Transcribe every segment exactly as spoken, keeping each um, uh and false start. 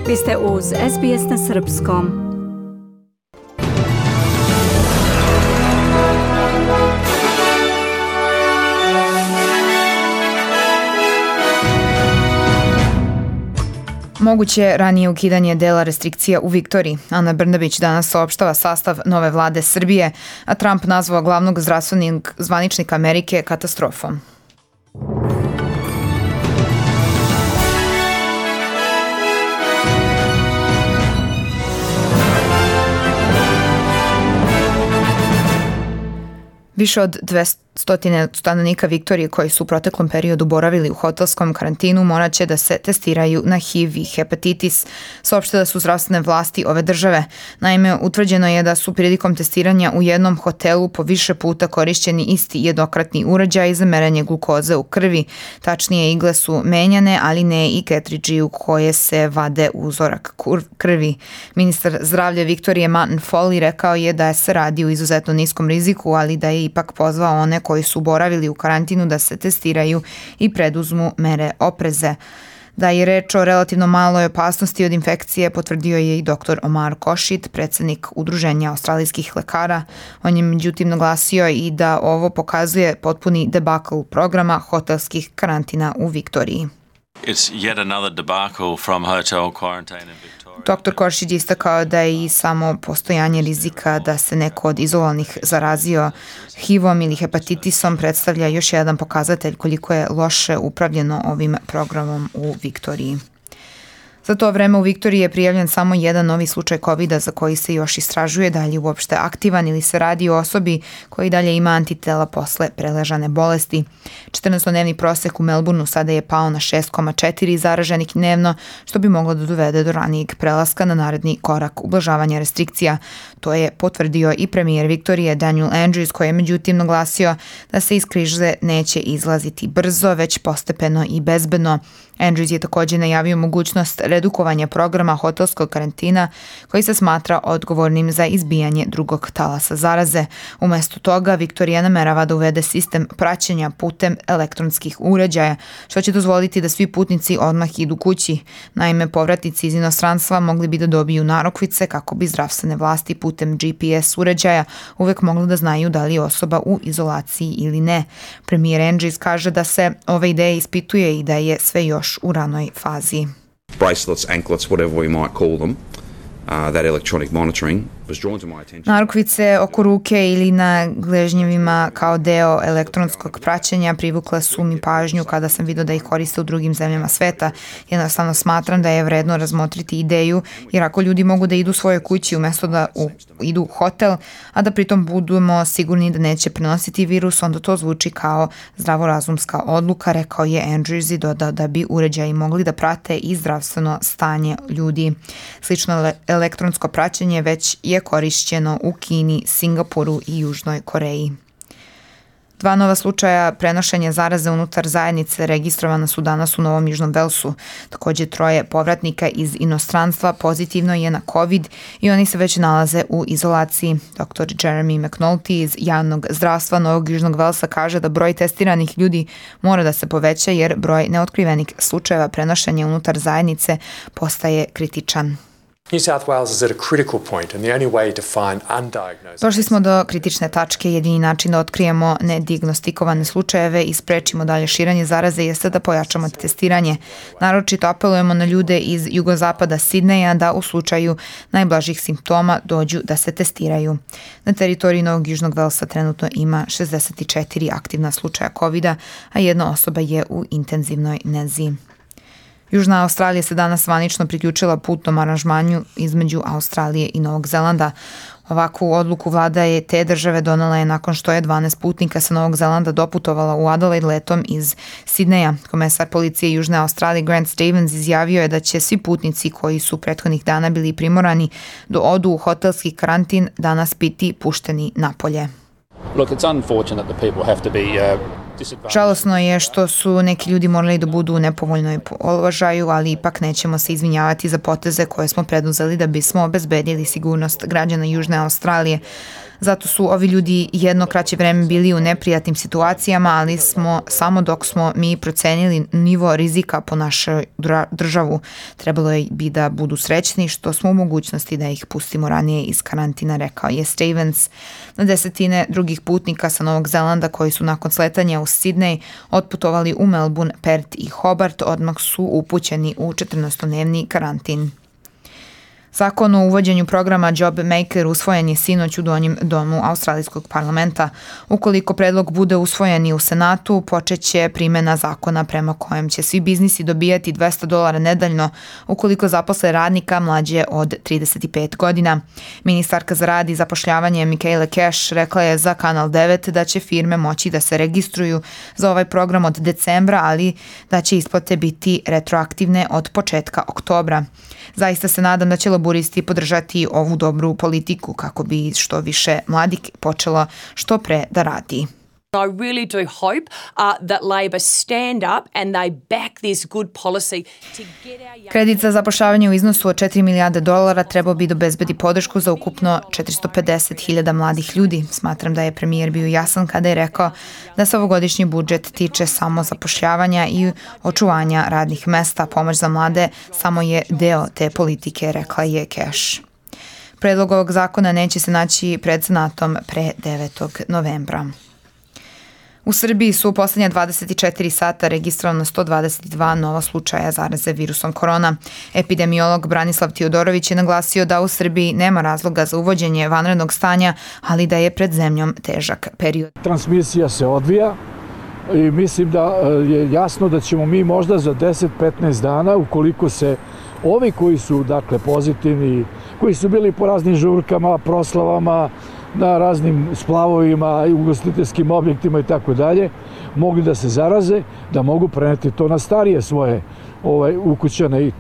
Vi ste uz S B S na srpskom. Moguće ranije ukidanje dela restrikcija u Viktoriji. Ana Brnabić danas saopštava sastav nove vlade Srbije, a Trump nazvao glavnog zdravstvenog zvaničnika Amerike katastrofom. Više od dvesta stanovnika Viktorije koji su u proteklom periodu boravili u hotelskom karantinu morat će da se testiraju na H I V i hepatitis, saopštile su zdravstvene vlasti ove države. Naime, utvrđeno je da su prilikom testiranja u jednom hotelu po više puta korišćeni isti jednokratni uređaj za merenje glukoze u krvi. Tačnije, igle su menjane, ali ne i ketridži u koje se vade uzorak krvi. Ministar zdravlja Viktorije Martin Foley rekao je da se radi u izuzetno niskom riziku, ali da je ipak pozvao one koji su boravili u karantinu da se testiraju i preduzmu mere opreze. Da je reč o relativno maloj opasnosti od infekcije potvrdio je i doktor Omar Košit, predsjednik Udruženja australijskih lekara. On je međutim naglasio i da ovo pokazuje potpuni debakl programa hotelskih karantina u Viktoriji. It's yet another debacle from hotel quarantine in Victoria. doktor Košić istakao da je i samo postojanje rizika da se neko od izolovanih zarazio H I V-om ili hepatitisom predstavlja još jedan pokazatelj koliko je loše upravljeno ovim programom u Viktoriji. Za to vreme u Viktoriji je prijavljen samo jedan novi slučaj kovida za koji se još istražuje da li je uopšte aktivan ili se radi o osobi koji dalje ima antitela posle preležane bolesti. četrnaestodnevni prosek u Melbourneu sada je pao na šest zarez četiri zaraženih dnevno, što bi moglo da dovede do ranijeg prelaska na naredni korak ublažavanja restrikcija. To je potvrdio i premijer Viktorije Daniel Andrews, koji je međutim naglasio da se iz krize neće izlaziti brzo, već postepeno i bezbedno. Andrews je također najavio mogućnost redukovanja programa hotelskog karantina koji se smatra odgovornim za izbijanje drugog talasa zaraze. Umjesto toga, Viktorija namerava da uvede sistem praćenja putem elektronskih uređaja, što će dozvoliti da svi putnici odmah idu kući. Naime, povratnici iz inostranstva mogli bi da dobiju narokvice kako bi zdravstvene vlasti putem G P S uređaja uvek mogli da znaju da li je osoba u izolaciji ili ne. Premijer Andrews kaže da se ova ideja ispituje i da je sve još u ranoj fazi. Bracelets, anklets, whatever we might call them, uh, that electronic monitoring was drawn to my attention. Narukvice oko ruke ili na gležnjevima kao deo elektronskog praćenja privukle su mi pažnju kada sam vidio da ih koriste u drugim zemljama sveta. Jednostavno smatram da je vredno razmotriti ideju, jer ako ljudi mogu da idu svojoj kući umjesto da u, idu u hotel, a da pritom budemo sigurni da neće prenositi virus, onda to zvuči kao zdravorazumska odluka, rekao je Andrews i dodao da bi uređaji mogli da prate i zdravstveno stanje ljudi. Slično elektronsko praćenje već je korišćeno u Kini, Singapuru i Južnoj Koreji. Dva nova slučaja prenošenja zaraze unutar zajednice registrovana su danas u Novom Južnom Velsu. Također troje povratnika iz inostranstva pozitivno je na COVID i oni se već nalaze u izolaciji. doktor Jeremy McNulty iz javnog zdravstva Novog Južnog Velsa kaže da broj testiranih ljudi mora da se poveća jer broj neotkrivenih slučajeva prenošenja unutar zajednice postaje kritičan. New South Wales is at a critical point and the only way to find undiagnosed. Došli smo do kritične tačke. Jedini način da otkrijemo nedignostikovane slučajeve i sprečimo dalje širenje zaraze jeste da pojačamo testiranje. Naročito apelujemo na ljude iz jugozapada Sidneja da u slučaju najblažih simptoma dođu da se testiraju. Na teritoriji Novog Južnog Velsa trenutno ima šezdeset četiri aktivna slučaja kovida, a jedna osoba je u intenzivnoj nezi. Južna Australija se danas zvanično priključila putnom aranžmanju između Australije i Novog Zelanda. Ovakvu odluku vlada je te države donela je nakon što je dvanaest putnika sa Novog Zelanda doputovala u Adelaide letom iz Sidneja. Komesar policije Južne Australije Grant Stevens izjavio je da će svi putnici koji su prethodnih dana bili primorani da odu u hotelski karantin danas biti pušteni napolje. Look, it's unfortunate that people have to be uh... Žalosno je što su neki ljudi morali da budu u nepovoljnoj položaju, ali ipak nećemo se izvinjavati za poteze koje smo preduzeli da bismo obezbedili sigurnost građana Južne Australije. Zato su ovi ljudi jedno kraće vreme bili u neprijatnim situacijama, ali smo samo dok smo mi procenili nivo rizika po našu državu, trebalo je bi da budu srećni što smo u mogućnosti da ih pustimo ranije iz karantina, rekao je Stevens. Na desetine drugih putnika sa Novog Zelanda koji su nakon sletanja u Sidney otputovali u Melbourne, Perth i Hobart odmah su upućeni u četrnaestodnevni karantin. Zakon o uvođenju programa Job Maker usvojen je sinoć u donjem domu Australijskog parlamenta. Ukoliko predlog bude usvojen i u Senatu, počeće primjena zakona prema kojem će svi biznisi dobijati dvesta dolara nedeljno ukoliko zaposle radnika mlađe od trideset pet godina. Ministarka za rad i zapošljavanje Michaela Cash rekla je za Kanal devet da će firme moći da se registruju za ovaj program od decembra, ali da će isplate biti retroaktivne od početka oktobra. Zaista se nadam da će laburisti podržati ovu dobru politiku kako bi što više mladih počelo što pre da radi. I really do hope uh, that Labor stand up and they back this good policy to get our young... Kredit za zapošljavanje u iznosu od četiri milijarde dolara trebao bi da obezbedi podršku za ukupno četiristo pedeset hiljada mladih ljudi. Smatram da je premijer bio jasan kada je rekao da se ovogodišnji budžet tiče samo zapošljavanja i očuvanja radnih mesta. Pomoć za mlade samo je deo te politike, rekla je Cash. Predlog ovog zakona neće se naći pred Senatom pre devetog novembra. U Srbiji su u poslednja dvadeset četiri sata registrovano sto dvadeset dva nova slučaja zaraze virusom korona. Epidemiolog Branislav Tiodorović je naglasio da u Srbiji nema razloga za uvođenje vanrednog stanja, ali da je pred zemljom težak period. Transmisija se odvija i mislim da je jasno da ćemo mi možda za deset do petnaest dana, ukoliko se ovi koji su dakle pozitivni, koji su bili po raznim žurkama, proslavama, na raznim splavovima i ugostiteljskim objektima i tako dalje, mogli da se zaraze, da mogu preneti to na starije svoje ovaj, ukućane i,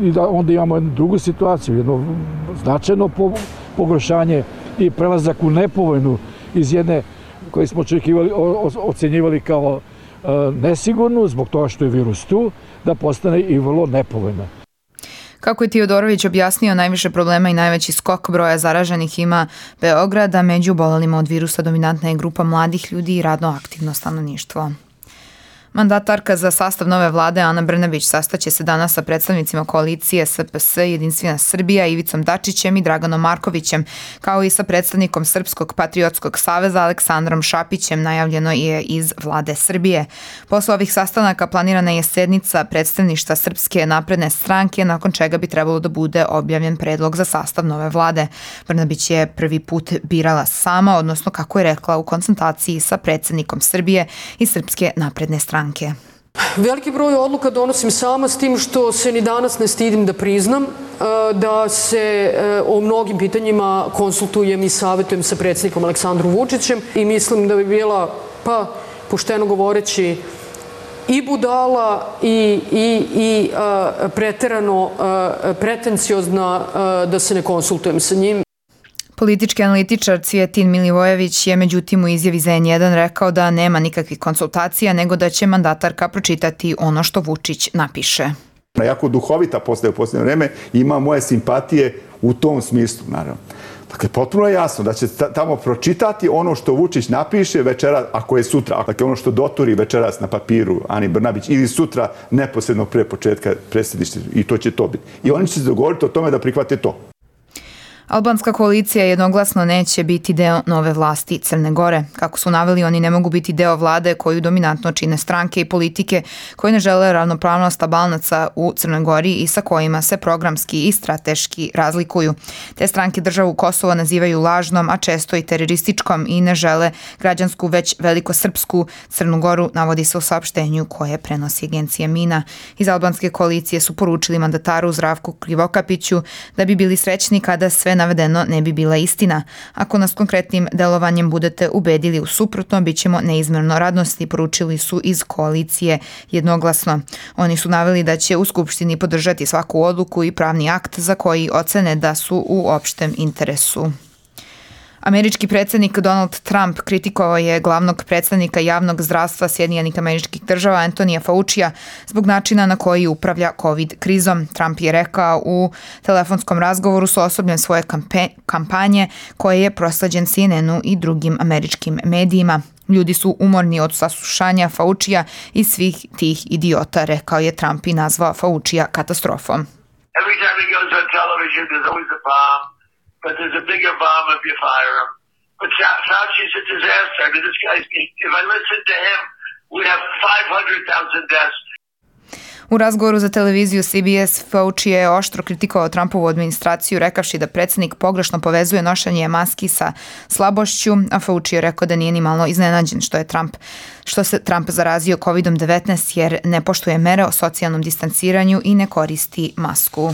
i da onda imamo jednu drugu situaciju, jedno značajno po, pogoršanje i prelazak u nepovoljnu iz jedne koje smo očekivali, o, ocenjivali kao e, nesigurnu zbog toga što je virus tu, da postane i vrlo nepovoljna. Kako je Tiodorović objasnio, najviše problema i najveći skok broja zaraženih ima Beograd, a među obolelima od virusa dominantna je grupa mladih ljudi i radno aktivno stanovništvo. Mandatarka za sastav nove vlade Ana Brnabić sastaće se danas sa predstavnicima koalicije S P S, Jedinstvena Srbija, Ivicom Dačićem i Draganom Markovićem, kao i sa predstavnikom Srpskog patriotskog saveza Aleksandrom Šapićem, najavljeno je iz vlade Srbije. Posle ovih sastanaka planirana je sednica predstavništva Srpske napredne stranke, nakon čega bi trebalo da bude objavljen predlog za sastav nove vlade. Brnabić je prvi put birala sama, odnosno kako je rekla, u konsultaciji sa predsednikom Srbije i Srpske napredne stranke. Veliki broj odluka donosim sama, s tim što se ni danas ne stidim da priznam da se o mnogim pitanjima konsultujem i savjetujem sa predsjednikom Aleksandrom Vučićem i mislim da bi bila, pa pošteno govoreći, i budala i, i, i a, preterano a, pretenciozna a, da se ne konsultujem sa njim. Politički analitičar Cvijetin Milivojević je međutim u izjavi za N jedan rekao da nema nikakvih konsultacija, nego da će mandatarka pročitati ono što Vučić napiše. Jako duhovita postaje u posljednje vreme i ima moje simpatije u tom smislu, naravno. Dakle, potpuno je jasno da će tamo pročitati ono što Vučić napiše večera, ako je sutra, dakle ono što doturi večeras na papiru Ani Brnabić ili sutra neposredno pre početka predsjedništva, i to će to biti. I oni će se dogovoriti o tome da prihvate to. Albanska koalicija jednoglasno neće biti deo nove vlasti Crne Gore. Kako su naveli, oni ne mogu biti deo vlade koju dominantno čine stranke i politike koje ne žele ravnopravnost Albanaca u Crnoj Gori i sa kojima se programski i strateški razlikuju. Te stranke državu Kosovo nazivaju lažnom, a često i terorističkom i ne žele građansku, već velikosrpsku Crnu Goru, navodi se u saopštenju koje prenosi agencija Mina. Iz albanske koalicije su poručili mandataru Zdravku Krivokapiću da bi bili srećni kada sve navedeno ne bi bila istina. Ako nas konkretnim delovanjem budete ubedili u suprotno, bit ćemo neizmerno radosni, poručili su iz koalicije jednoglasno. Oni su naveli da će u Skupštini podržati svaku odluku i pravni akt za koji ocene da su u opštem interesu. Američki predsjednik Donald Trump kritikovao je glavnog predstavnika javnog zdravstva Sjedinjenih Američkih Država Antonija Faucija zbog načina na koji upravlja COVID krizom. Trump je rekao u telefonskom razgovoru sa osobljem svoje kampanje koje je prosleđen C N N-u i drugim američkim medijima. Ljudi su umorni od saslušanja Faucija i svih tih idiota, rekao je Trump i nazvao Faucija katastrofom. Every time he goes on television, there's always a bomb, but there's a bigger bomb if you fire him. But Fauci's a disaster. I mean, this guy's, if I listen to him, we have five hundred thousand deaths. U razgovoru za televiziju C B S Fauci je oštro kritikovao Trumpovu administraciju rekavši da predsjednik pogrešno povezuje nošenje maski sa slabošću, a Fauci je rekao da nije ni malo iznenađen što je Trump, što se Trump zarazio kovid devetnaest jer ne poštuje mere o socijalnom distanciranju i ne koristi masku.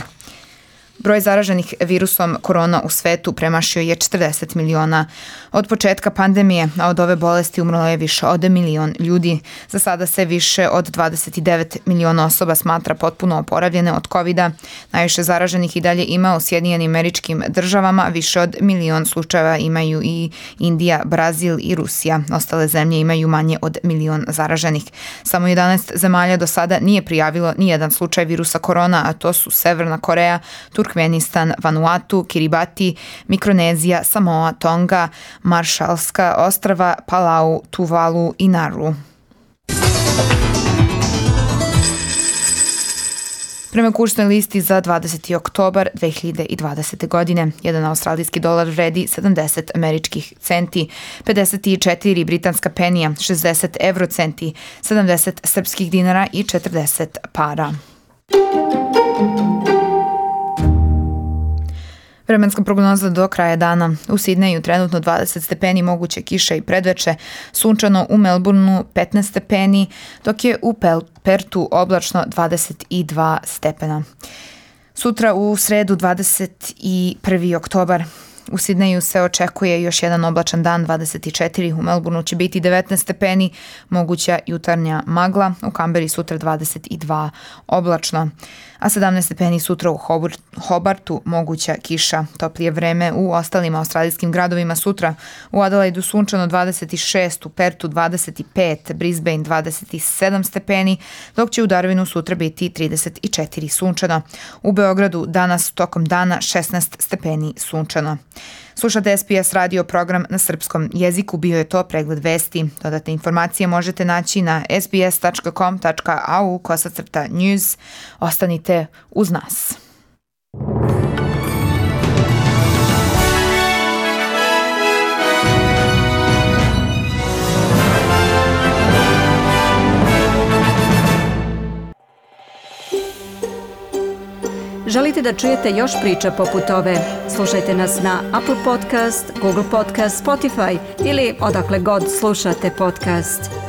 Broj zaraženih virusom korona u svetu premašio je četrdeset miliona. Od početka pandemije, a od ove bolesti umrlo je više od milion ljudi. Za sada se više od dvadeset devet miliona osoba smatra potpuno oporavljene od kovida. Najviše zaraženih i dalje ima u Sjedinjenim Američkim Državama, više od milion slučajeva imaju i Indija, Brazil i Rusija. Ostale zemlje imaju manje od milion zaraženih. Samo jedanaest zemalja do sada nije prijavilo ni jedan slučaj virusa korona, a to su Severna Koreja, Turkmenistan, Vanuatu, Kiribati, Mikronezija, Samoa, Tonga, Maršalska ostrva, Palau, Tuvalu i Nauru. Prema kursnoj listi za dvadeseti oktobar dve hiljade dvadesete. godine, jedan australijski dolar vredi sedamdeset američkih centi, pedeset četiri britanska penija, šezdeset evrocenti, sedamdeset srpskih dinara i četrdeset para. Vremenska prognoza do kraja dana. U Sidneju trenutno dvadeset stepeni, moguće kiša i predveče, sunčano u Melbourneu petnaest stepeni, dok je u Pertu oblačno dvadeset dva stepena. Sutra u sredu dvadeset prvi oktobar. U Sidneju se očekuje još jedan oblačan dan, dvadeset četiri, u Melbourneu će biti devetnaest stepeni, moguća jutarnja magla, u Kamberi sutra dvadeset dva oblačno, a sedamnaest stepeni sutra u Hobartu, moguća kiša. Toplije vreme u ostalim australijskim gradovima sutra, u Adelaidu sunčano dvadeset šest, u Pertu dvadeset pet, Brisbane dvadeset sedam stepeni, dok će u Darwinu sutra biti trideset četiri sunčano. U Beogradu danas tokom dana šesnaest stepeni sunčano. Slušate S B S radio program na srpskom jeziku, bio je to pregled vesti. Dodatne informacije možete naći na sbs tačka com tačka a u kosacrta news. Ostanite uz nas. Želite da čujete još priča poput ove? Slušajte nas na Apple Podcast, Google Podcast, Spotify ili odakle god slušate podcast.